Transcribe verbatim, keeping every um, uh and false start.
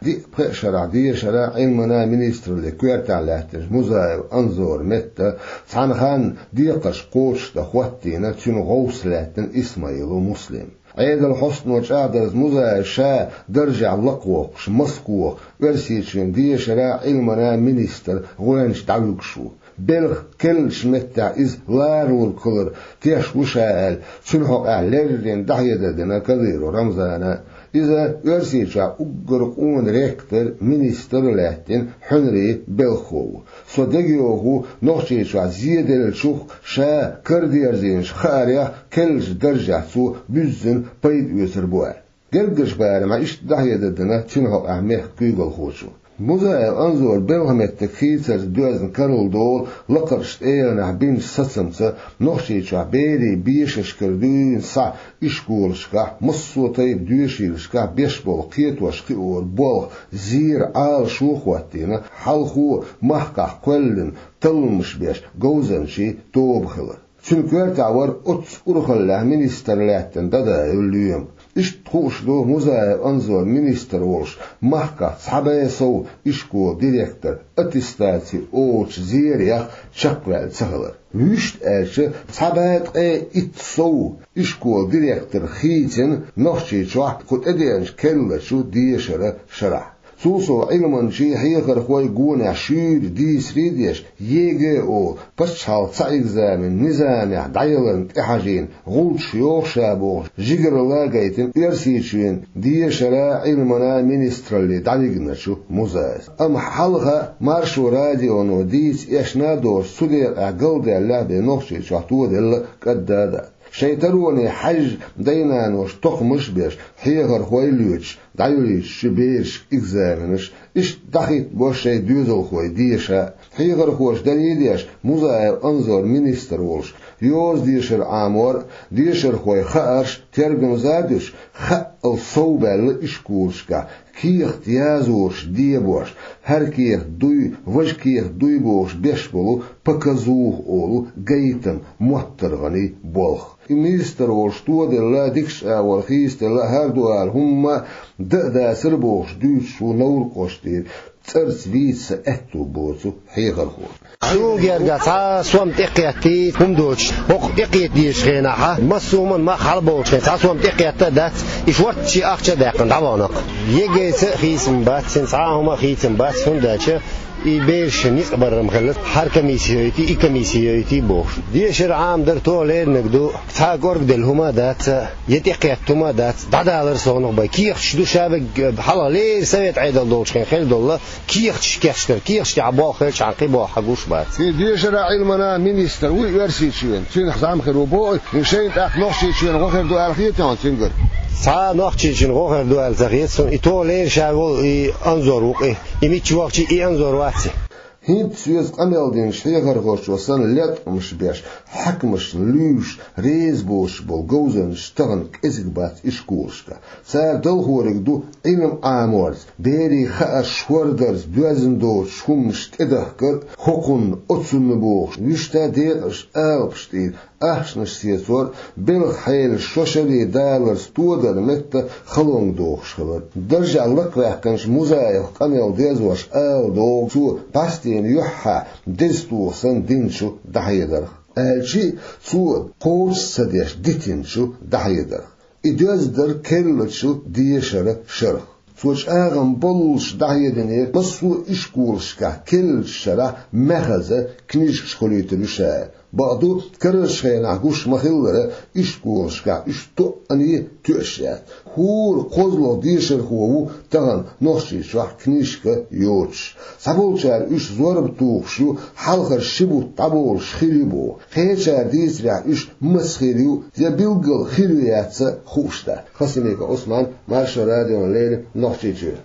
Диъ-пхиъ шарахь дешара, Ӏилмана министраллин коьртехь лаьттинчу Музаев Анзора метта цхьана ханна декхарш кхочушдан хӀоттийна цуьнан гӀовс лаьттина Исмаилов Муслим. Ӏедалан хьостано чӀагӀдарца, Музаев ша даржехь лакхавоккхуш Москвахь Оьрсийчоьнан дешара, Ӏилмана министр гӀоьнча дӀавуьгуш ву. Белхан керлачу меттехь иза ларалург хилар теш ву ша аьлла, цуьнан хьокъехь леррина дӀахьедар дина Кадыров Рамзана. Иза Оьрсийчохь уггар къона ректор, министр а лаьттина Хьуьнарийн Белхо ву. Со дегайовхо ву, Нохчийчохь зеделлачух, ша карадерзийначу хаарх керлачу даржехь цо буьззина пайда оьцур бу аьлла. Гергарчу барамехь иштта дӀахьедар дина цуьнан хьокъехь мехкан куьйгалхочо. Музаев Анзор белхан меттиг хийцарца доьзна карладолу лакхарчу тӀегӀанехь бинчу сацамца Нохчийчохь берийн бешашкара дуьйна схьа ишколашкахь, массо а тайпа доьшийлашкахь беш болу кхетош-кхиоран болх зеран Ӏалашо а хӀоттийна, хьалхо махкахь кхоьллина талламаш беш говзанчийн тоба хилар. Цуьнан коьртехь вара оццу урхаллехь министр лаьттина Дадаев Лоьма. Иштта хууш ду Музаев Анзор министр волуш махкахь цхьа бӀе сов ишколан директор аттестаци олучу зерех чекхваьлла ца хилар. Вуьшта аьлча, цхьа бӀе ткъе итт сов ишколан директор хийцина Нохчийчохь кху тӀедеанчу керлачу дешаран шарахь. Цул сов, Ӏилманчий, хьехархой гонехь шуьйра дийцаре а деш, ЕГЭ олу пачхьалкхан цхьа экзамен низамехь дӀаяларна тӀехьажийна гӀулчаш йоху ша бохуш, жигаралла гайтина Оьрсийчоьнан дешара, Ӏилмана министралле дӀавигначу Музаевс. Амма хьалха Маршо радионо дийца эшна а доцуш, цу декъехь галдаьллехь бен Нохчийчохь тоделла кӀадда а дац. Шайн тароне хьаьжжа дай-наноша тохамаш а беш, хьехархой а лоьцуш, дӀайолуьйтуш ю берашка экзаменаш, иштта дӀахӀиттабо шайн доьзалхой деша. Хьехархоша даре а деш, Музаев Анзор министр волуш, йоза дешар Ӏамор а, дешархойн хаарш тергамза а дуьтуш, хаъал совбаьлла ишколашкахь кехат язораш дебош, хӀара кехат дуй, важа кехат дуй бохуш беш болу показуха олу гайтам моттаргӀанийн болх. И министр волуш тоделла, дикачу агӀор хийцаделла, хӀара ду ала хӀумма дан а дацара бохуш дуьйцуш ву Невран кӀоштара цӀарца вийца сан аьтту боцу хьехархо. Суна гергахь цхьа а сом тӀекхеттий, хӀума доцуш, хӀокху тӀекхета дезачу хенахь массо а хӀуманна мах хьалаболучу хенахь цхьа а сом тӀекхетта а дац, и шортта шен ахча а даьккхина дӀавахана-кх. ЕГЭ-ца а хийцам бац, цуьнан цхьа а хӀума а хийцам бац, хӀунда аьлча и бераш ницкъ барам хилла. ХӀара комисси йойтий, и комисси йойтий бохуш. Дешар Ӏамадар тоха леринарг ду, цхьа а кӀоргаделла хӀума а дац, я тӀекхетта хӀума а дац, дӀадалар совнах бай. Кехаташ ду ша верг, хьалха леррина совет Ӏедал долчу хенахь хилла долу кехаташ кечдара, кехаташ тӀехь болх хилчахьана кхин болх хьан гуш бац. И дешара, Ӏилмана министр вуй Оьрсийчоьнан, цуьнах зӀамхир ву боху, и шайна тӀаккха Нохчийчоьнан гӀо хир ду аьлла хета хьуна цуьнгара? Цхьа а Нохчийчоьнан гӀо хир ду аьлла ца хета суна, и тоха лерина ша волу и Анзор ву-кх и, и мича вахча и Анзор вац и. ХӀинцца соьца къамел динчу хьехархочо санна леткъамаш беш, хьаькамашна луьйш, реза боцуш болу говзанчаш тахана кӀезиг бац ишколашкахь. Цара далхориг ду Ӏилма Ӏаморца, берийн хаарш хӀордарца доьзна доцуш хӀуманаш тӀедахкар а, хӀокхунна, оцунна бохуш, вуьшта декъазчу алапаш тӀера ахчанаш сецор а, белхан хьелаш шо шаре даларца тодар метта халонга дохуш хилар. Даржехь лакхаваьккхинчу Музаевх къамел дезош ала догӀу цо, бӀаьстенан юьххьехь деза тоха санна динчу дӀахьедарх, аьлча а, цо кхочуш ца деш дитинчу дӀахьедарх. И доьзна дара керлачу дешаран шарах. Цо чӀагӀам боллуш дӀахьединера, массо а ишколашкахь керлачу шарахь маьхаза книжкаш хуьлуьйтур ю ша. Бакъду, карарчу хенахь гуш ма-хиллара, ишколашкахь уьш тоъане тоьаш яц. ХӀора кхозлагӀа дешархо ву тахана Нохчийчохь книжка йоцуш. Цхьаболчара уьш зорба тухуш ю, хьалхара ши бутт дӀаболуш хир ю боху. Кхечара дийцарехь, уьш маса хир ю я билггал хир ю, яц а хууш дац. Хасимиков Ӏусман, Маршо радиона леррина, Нохчийчуьра.